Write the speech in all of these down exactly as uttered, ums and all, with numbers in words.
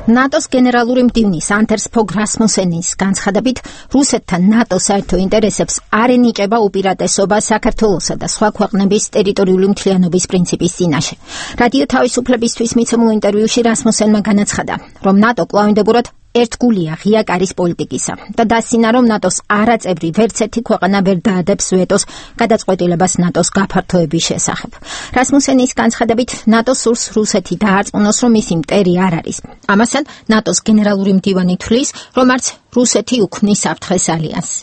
ნატოს გენერალური მდივნის ანდერს ფოგ რასმუსენის განცხადებით, რუსეთთან ნატოს საერთო ინტერესებს არ ენიჭება უპირატესობა საქართველოსა და სხვა ქვეყნების ტერიტორიული მთლიანობის პრინციპის წინაშე. რადიო თავისუფლებისთვის მიცემულ ინტერვიუში რასმუსენმა განაცხადა, რომ ნატო კვლავინდებურად ერთგულია ღია კარის პოლიტიკისა და დასცინა, რომ ნატოს არაწევრი ვერც ერთი ქვეყანა ვერ დაადებს ვეტოს გადაწყვეტილებას ნატოს გაფართოების შესახებ. რასმუსენის განცხადებით, ნატო სურს რუსეთი დაარწმუნოს, რომ მისი მტერი არ არის. ამასთან, ნატოს გენერალური მდივანი თვლის, რომ არც რუსეთი უქმნის საფრთხეს ალიანსს.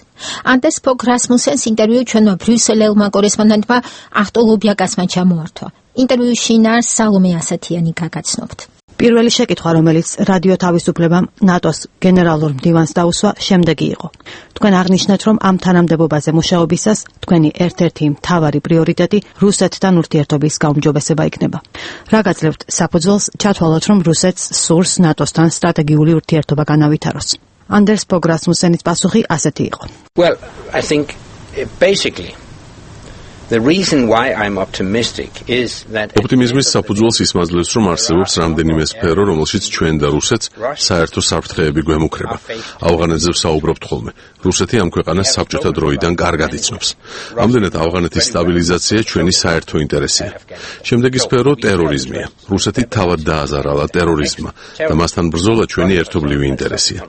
ანდერს ფოგ რასმუსენს ინტერვიუ ჩვენმა ბრიუსელელმა კორესპონდენტმა ახტო ლობიაკასმა ჩამოართვა. ინტერვიუში ნარ სალომე ასათიანი გაგაცნობთ. პირველი შეკითხვა, რომელიც რადიო თავისუფლებამ ნატოს გენერალურ მდივანს დაუსვა, შემდეგი იყო. თქვენ აღნიშნეთ, რომ ამ თანამდებობაზე მუშაობისას თქვენი ერთ-ერთი მთავარი პრიორიტეტი რუსეთთან ურთიერთობის გაუმჯობესება იქნება. რა გაძლევთ საფუძველს ჩათვალოთ, რომ რუსეთს სურს ნატოსთან სტრატეგიული ურთიერთობა განავითაროს? ანდერს ფოგ რასმუსენის პასუხი ასეთი იყო. Well, I think basically The reason why I'm optimistic is that ოპტიმიზმის საფუძველს ისმაძლევს, რომ არსებობს რამდენიმე სფერო, რომელშიც ჩვენ და რუსეთს საერთო საფრთხეები გვემუქრება. ავღანეთზე ვსაუბრობთ ხოლმე. რუსეთი ამ ქვეყანას საბჭოთა დროიდან კარგად იცნობს. ამდენად ავღანეთის სტაბილიზაცია ჩვენი საერთო ინტერესია. შემდეგი სფერო ტერორიზმია. რუსეთი თავად დააზარალა ტერორიზმმა და მასთან ბრძოლა ჩვენი ერთობლივი ინტერესია.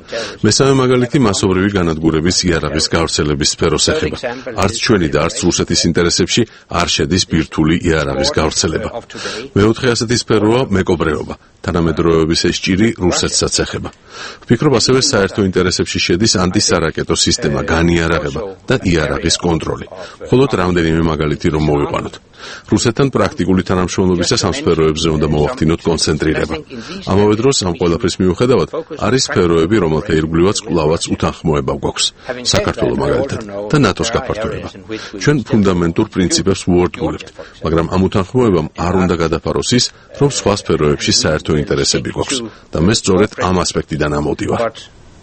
მესამე მაგალითი მასობრივი განადგურების იარაღის გავრცელების სფეროს ეხება. არც ჩვენი და არც რუსეთის ინტერესებში არ შედის ბირთვული იარაღის გავრცელება. მეოთხე ასეთი სფეროა მეკობრეობა. თანამედროვეობის ეს ჭირი რუსეთსაც ეხება. ვფიქრობ, ასევე საერთო ინტერესებში შედის ანტისარაკეტო სისტემა, განიარაღება და იარაღის კონტროლი. მხოლოდ რამდენიმე მაგალითი რომ მოვიყვანოთ. რუსეთთან პრაქტიკული თანამშრომლობისას ამ სფეროებზე უნდა მოვახდინოთ კონცენტრირება. ამავე დროს ამ ყველაფრის მიუხედავად არის სფეროები, რომელთა ირგვლივაც კვლავაც უთანხმოება გვაქვს. საქართველოს მაგალითად და ნატოს გაფართოება. ჩვენ ფუნდამენტურ პრინციპებს ვუერთგულებთ, მაგრამ ამ უთანხმოებამ არ უნდა გადაფაროს ის, რომ სხვა სფეროებში საერთო ინტერესები გვაქვს და მე სწორედ ამ ასპექტიდან ამოდივარ.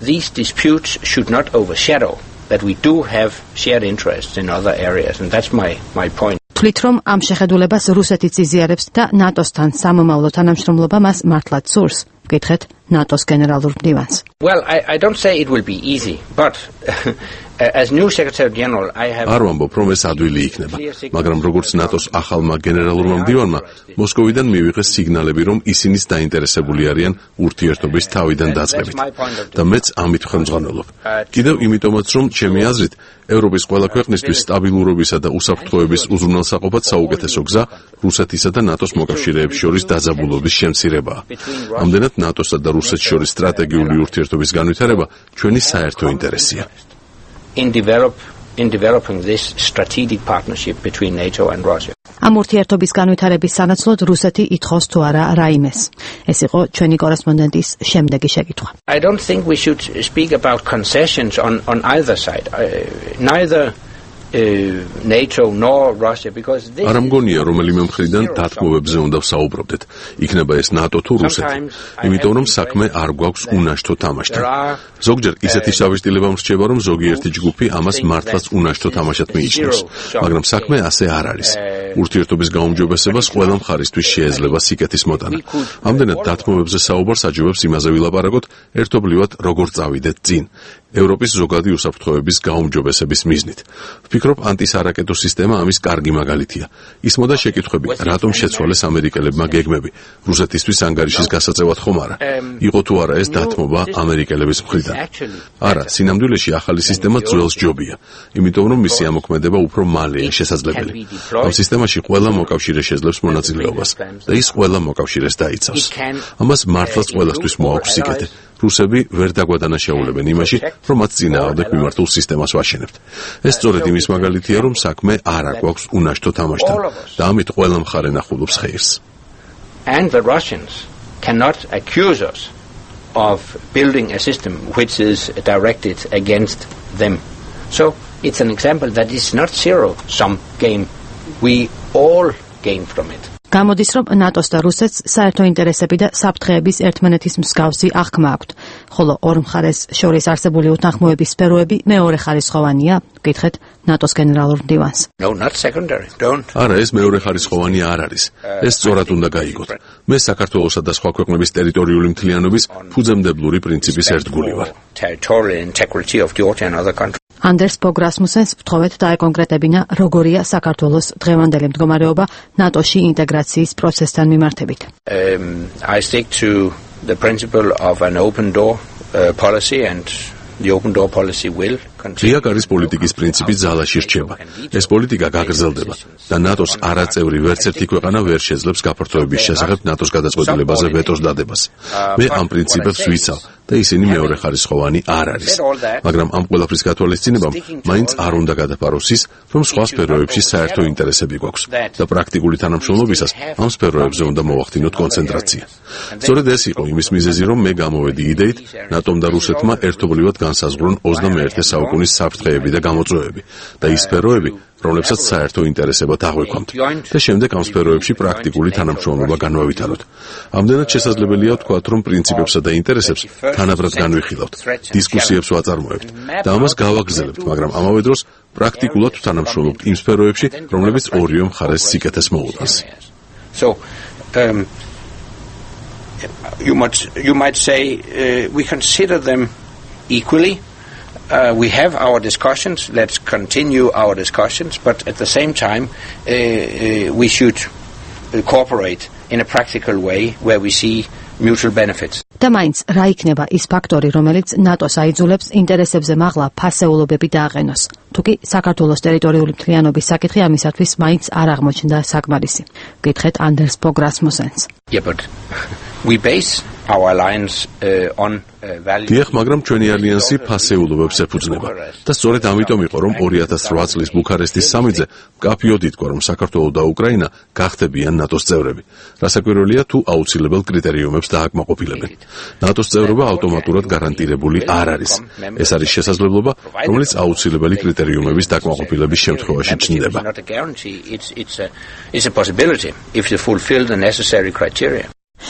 These disputes should not overshadow that we do have shared interests in other areas, and that's my my point. თვლით, რომ ამ შეხედულებას რუსეთიც იზიარებს და ნატოსთან სამომავლო თანამშრომლობა მას მართლაც სურს? ვკითხეთ ნატოს გენერალურ მდივანს. Well, I I don't say it will be easy, but as new secretary general I have არ ვამბობ, რომ ეს ადვილი იქნება, მაგრამ როგორც ნატოს ახალმა გენერალურმა მდივანმა მოსკოვიდან მივიღეს სიგნალები, რომ ისინიც დაინტერესებული არიან ურთიერთობის თავიდან დაწყებით და მეც ამით ხელმძღვანელობ. კიდევ იმიტომაც, რომ ჩემი აზრით ევროპის ყველა ქვეყნისთვის სტაბილურობისა და უსაფრთხოების უზრუნველსაყოფად საუკეთესო გზა რუსეთისა და ნატოს მოკავშირეებს შორის დაძაბულობის შემცირებაა. ამდენად ნატოსა და რუსეთს შორის სტრატეგიული ურთიერთობის განვითარება ჩვენი საერთო ინტერესია. in develop in developing this strategic partnership between NATO and Russia. ამ ურთიერთობის განვითარების სანაცვლოდ რუსეთი ითხოვს თუ არა რაიმეს. ეს იყო ჩვენი კორესპონდენტის შემდეგი შეკითხვა. I don't think we should speak about concessions on on either side. Uh, neither Uh, NATO nor Russia because this არ მგონია რომელიმე მხრიდან დათმობებზე უნდა ვსაუბრობდეთ. იქნება ეს ნატო თუ რუსეთი. იმიტომ რომ საქმე არ გვაქვს უნაშთო თამაშთან. ზოგჯერ ისეთი შავიშტილება მრჩება, რომ ზოგიერთი ჯგუფი ამას მართლაც უნაშთო თამაშად მიიჩნევს, მაგრამ საქმე ასე არ არის. ურთიერთობის გაუმჯობესებას ყველა მხარისთვის შეეძლება სიკეთის მოტანა. ამდენად დათმობებზე საუბარს აჯობებს იმაზე ვილაპარაკოთ, ერთობლივად როგორ წავიდეთ წინ. ევროპის ზოგადი უსაფრთხოების გაუმჯობესების მიზნით. ვფიქრობ, ანტისარაკეტო სისტემა ამის კარგი მაგალითია. ისმოდა შეკითხვები, რატომ შეცვალეს ამერიკელებმა გეგმები, რუსეთისთვის ანგარიშის გასაწევად ხომ არა? იყო თუ არა ეს დათმობა ამერიკელების მხრიდან? არა, სინამდვილეში ახალი სისტემა ძველს ჯობია, იმიტომ რომ მისი ამოქმედება უფრო მალეა შესაძლებელი. ამ სისტემაში ყველა მოკავშირე შეძლებს მონაწილეობას და ის ყველა მოკავშირეს დაიცავს. ამას მართლაც ყველასთვის მოაქვს სიკეთე. რუსები ვერ დაგვადანაშაულებენ იმაში, რომ მათ წინააღმდეგ მიმართულ სისტემას ვაშენებთ. ეს სწორედ იმის მაგალითია, რომ საქმე არ აგვაქვს უნაშთო თამაშთან და ამით ყველა მხარე ნახულობს ხეირს. And the Russians cannot accuse us of building a system which is directed against them. So it's an example that is not zero sum game. We all gain from it. გამოდის, რომ ნატოს და რუსეთს საერთო ინტერესები და საფრთხეების ერთმანეთის მსგავსი აღქმა აქვთ, ხოლო ორ მხარეს შორის არსებული უთანხმოების სფეროები მეორე ხარისხოვანია, გითხეთ ნატოს გენერალურ მდივანს. No, not secondary. Don't. არა, ეს მეორე ხარისხოვანი არ არის. ეს სწორად უნდა გაიგოთ. მე საქართველოსა და სხვა ქვეყნების ტერიტორიული მთლიანობის ფუძემდებლური პრინციპის ერთგული ვარ. Territorial integrity of Georgia and other countries. ანდერს ბოგ რასმუსენს ვთხოვეთ დაეკონკრეტებინა, როგორია საქართველოს დღევანდელი მდგომარეობა ნატოში ინტეგრაციის პროცესთან მიმართებით. Um, I stick to the principle of an open door uh, policy and the open door policy will continue. რიაკარის პოლიტიკის პრინციპი ძალაში რჩება. ეს პოლიტიკა გაგრძელდება და ნატოს არაწევრი ვერც ერთი ქვეყანა ვერ შეძლებს გაფართოების შესახებ ნატოს გადაწყვეტილებაზე ვეტოს დადებას. მე ამ პრინციპებს ვიცავ და ისინი მეორე ხარისხოვანი არ არის. მაგრამ ამ ყველაფრის გათვალისწინებამ მაინც არ უნდა გადაფაროს ის, რომ სხვა სფეროებში საერთო ინტერესები გვაქვს და პრაქტიკული თანამშრომლობისას ამ სფეროებზე უნდა მოვახდინოთ კონცენტრაცია. სწორედ ეს იყო იმის მიზეზი, რომ მე გამოვედი იდეით ნატომ და რუსეთმა ერთობლივად განსაზღვრონ ოცდამეერთე საუკუნის საფრთხეები და გამოწვევები და ის სფეროები, რომლებსაც საერთო ინტერესებად აღვიქვამთ და შემდეგ ამ სფეროებში პრაქტიკული თანამშრომლობა განვავითაროთ. ამდენად შესაძლებელია ვთქვათ, რომ პრინციპებსა და ინტერესებს თანაბრად განვიხილავთ, დისკუსიებს ვაწარმოებთ და ამას გავაგრძელებთ, მაგრამ ამავე დროს პრაქტიკულად ვთანამშრომლობთ იმ სფეროებში, რომლებიც ორივე მხარეს სიკეთეს მოუტანს. So, um, you might you might say uh, we consider them equally. Uh, we have our discussions. Let's continue our discussions, but at the same time, uh, uh, we should uh, cooperate in a practical way where we see mutual benefits. და მაინც რა იქნება ის ფაქტორი, რომელიც ნატოს აიძულებს ინტერესებზე მაღლა ფასეულობები დააყენოს. თუკი საქართველოს ტერიტორიული მთლიანობის საკითხი ამისათვის მაინც არ აღმოჩნდა საკმარისი. გითხეთ ანდერს ბოგ რასმუსენს. Yeah, but we base our alliance uh, on uh, values. დიახ, მაგრამ ჩვენი ალიანსი ფასეულობებს ეფუძნება და სწორედ ამიტომ იყო, რომ ორი ათას რვა წლის ბუქარესტის სამიტზე მკაფიოდ ითქვა, რომ საქართველო და უკრაინა გახდებიან ნატოს წევრები. რასაკვირველია, თუ აუცილებელ კრიტერიუმებს დააკმაყოფილებენ. ნატოს წევრობა ავტომატურად გარანტირებული არ არის. ეს არის შესაძლებლობა, რომელიც აუცილებელი კრიტერიუმების დაკმაყოფილების შემთხვევაში ჩნდება. Not a guarantee. It's it's a it's a possibility if you fulfill the necessary criteria.